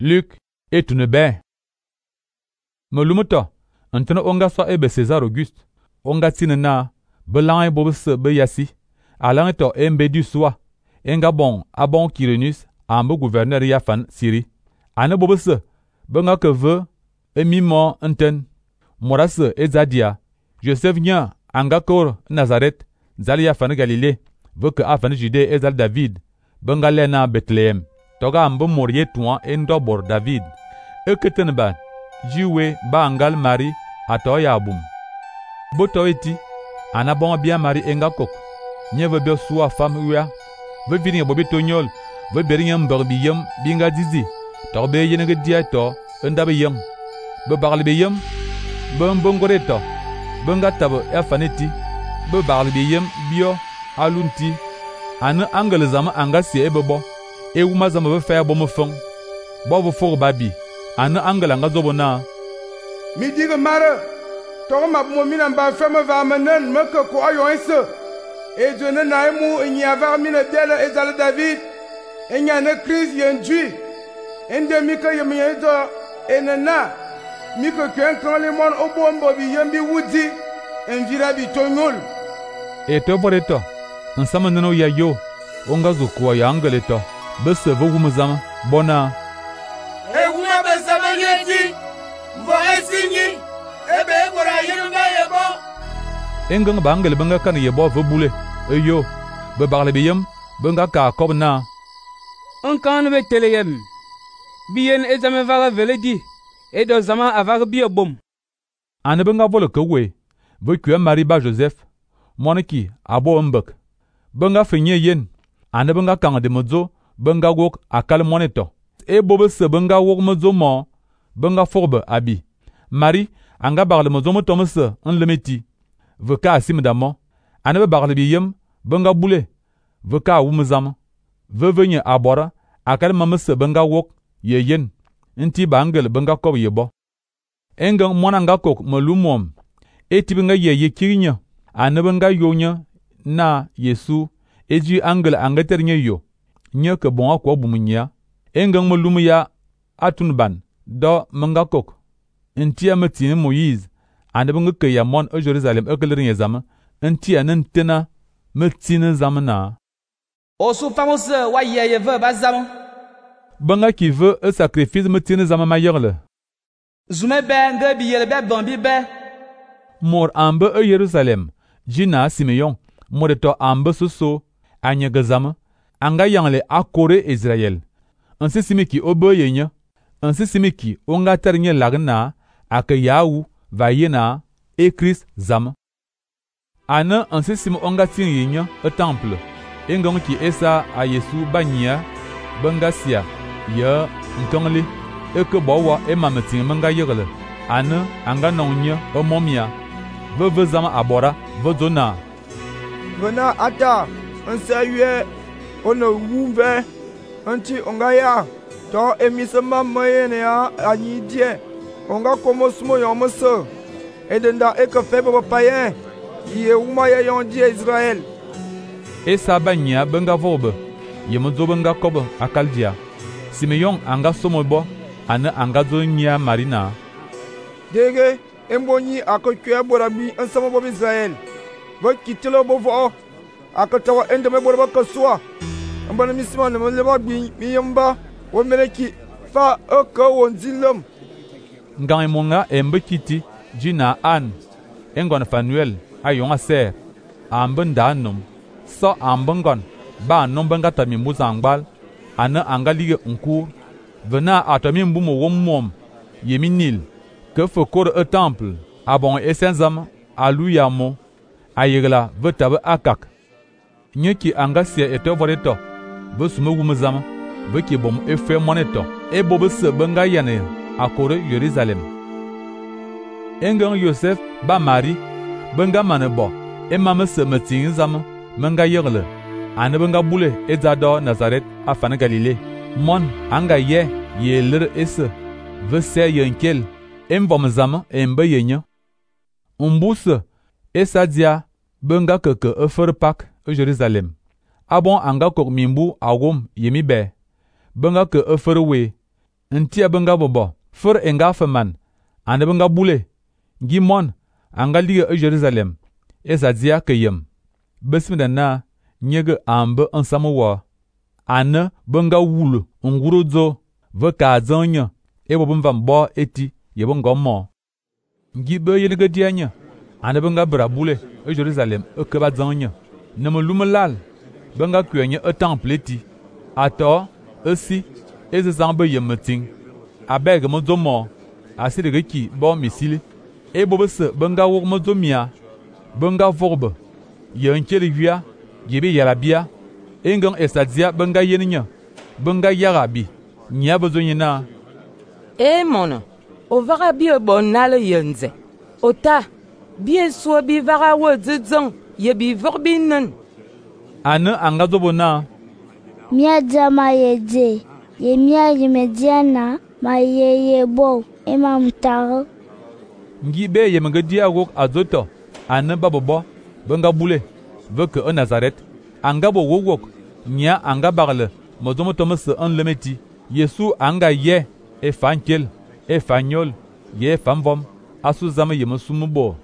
Luc etune be. Melumuto, ntene onga so ebe César Auguste, onga tine na, belang bobe se be yasi, alang to embe du soi, enga bon abon Quirinus, ambe gouverneur yafan Syrie. Ane bobe se, benga ke ve, emimo enten, morase ezadia, Joseph nya, anga kor Nazareth, zal yafan Galilée, ve ke afan Judée ezal David, benga lena Bethlehem, toga ambe morie touan endobor David. Eketen ba, jiwe ba angal Marie, ato ya boum. Boto eti, anabon bien Marie enga kok, nye ve be soua femme uya, ve virin bobi tonyol, ve berin mbeur biyem binga dizi, torbe yenege dia to, endabe yem, be bagle biyem, be mbongore to, benga tabe efaneti, be bagle biyem bio alunti, ane angele zama anga sie ebebo, e wuma zama be fer bomo fong, bo ve for babi, ane angele anga zobo na. Mi dige mare, togo map mo mina mba feme va menen me ke ko ayo ense. E dwene na emu enyi avar mine dele ezale David, enya ne Christ yendui. Ende mi ke yemi edo enena, mi ke kwen kan le mon obo mbo bi yembi wudi, envira bi tonyol. E to boreto, nsama neno ya yo, onga zukuwa ya angele to, bese vo wumuzama, bona. E wuma besama yeti, mbo esinyi, ebe ebora yenumba yebo. Engang ba angele benga kan yebo ve bule, eyo, be bagle biyem, benga ka kob na. Onkan be teleyem, biyen ezame vaga veledi, edo zama avaga biye bom. Ane benga vole ke we, ve kwe Marie ba Joseph, moniki abo mbek. Benga fenye yen, ane benga kang de mozo, benga wok akal moneto. E bobe se benga wok mozo mo, benga forbe abi. Marie, anga bagle mozo mo tomese, en lemeti. Ve ka asim damo, ane be bagle biyem, benga bule. Ve ka wumzam. Ve venye abora, akal mamese benga wok, ye yen. Inti ba angel benga kob yebo. Engang monanga kok melumom. Eti benga ye kirinya. Ane benga yonya na Yesu. Eji angel angeter nye yo. Nye ke bon akwa bumunya. Engang melumu ya atunban. Do menga kok. Inti ametine Moïse. Ane benga ke ya mon e Jerusalem ekelerin ye zame. Inti anentena metine zame na. Osu famose wa ye ve bazam. Benga ki ve e sacrifice metine zame mayerle. Zume be nge biyele be bambi be. Mor ambe e Jerusalem. Jina Simeon. Moreto ambe soso. Anyege zame. Anga yangle akore Israel. Ansi simiki obe yenya. Ansi simiki onga ternye lagna. Ake yaou va yena e Christ zame. Ane ansi sim onga tin yenya e temple. Engang ki esa a Yesu banya. Benga sia. Ye ntongle. Eke bowa e mametin menga yegle. Ane anga nonye e momia. Ve zama abora. Ve zona. Vena ata, ense yue, one wumve, anti onga ya, to emisema mayene ya anyi die, onga komo sumo yomese, edenda eke febe payen, ye wuma ye yon die Israel. Esa banya benga vobe, ye mozo benga kobe akaldia. Simeon anga somobo, ane anga zo nya marina. Dege, embonyi akokwe borabi ensama bob Israel. Va kitelo bovo, akatawa endeme borba kaswa. Ambana misima ne leba bi miyamba, wo meleki fa oko wonzilom. Ngang monga embe kiti, jina an. Engon Fanuel, ayonga ser. Amben danum. So ambengon, ba nombenga tami muzangbal. Ane anga lige unkur. Vena atomi mbumo womom. Yeminil. Que fokor e temple. Abon esenzam, aluyamo. Ayegla ve tabe akak. Nye ki anga sia eto voreto. Ve sume wumzam. Ve ki bom efe moneto. E bobe se benga yane. Akore Jerusalem. Engang Yosef ba Marie. Benga manebo. E mame se metin zam. Menga yegle. Ane benga bule ezado Nazareth afane Galilée. Mon anga ye lir ese. Ve se yenkel. Embom zam embe yenya. Umbuse. Esa dia benga keke efer pak e Jerusalem. Abon anga kok mimbu awom yemi be. Benga ke efer we. Ntia benga bobo, fur enga feman, ane benga bule, ngi mon, anga liga Jerusalem, ezadzia ke yem. Besmida na, nyege ambe ensamewa. Ane benga wulu, ngurudzo, ve ka zonye, ebo bemvam bo eti, yebo ngomo. Ngi be yenege dianye, ane benga bra bule, Jerusalem, keba zonye. Neme lumelal, benga kwenye temple eti. Ato, esi, eze zambe yemeting. Abeg mozomo, asirege ki bo misili. Ebo bese benga wok mozomia, benga vorbe, yenkeli via, yebe yarabia, engang esadzia benga yeninya, benga yarabi, nya bezonyina. Mono, o vaga bi bon nale yenze. Ota, bi so bi vaga wo dzong, ye bi vorbinen. Ane angazobona. Mia jama yeje, ye mia yemediana, ma ye bo, ema mtaro. Ngi be yemenge dia wok azoto, ane babobo, benga bule, veke e Nazaret, anga bo wok, nya anga bagle, mozomo tomese en lemeti, Yesu anga ye, e fankel, e fanyol, ye famvom, asu zame yemesumubo.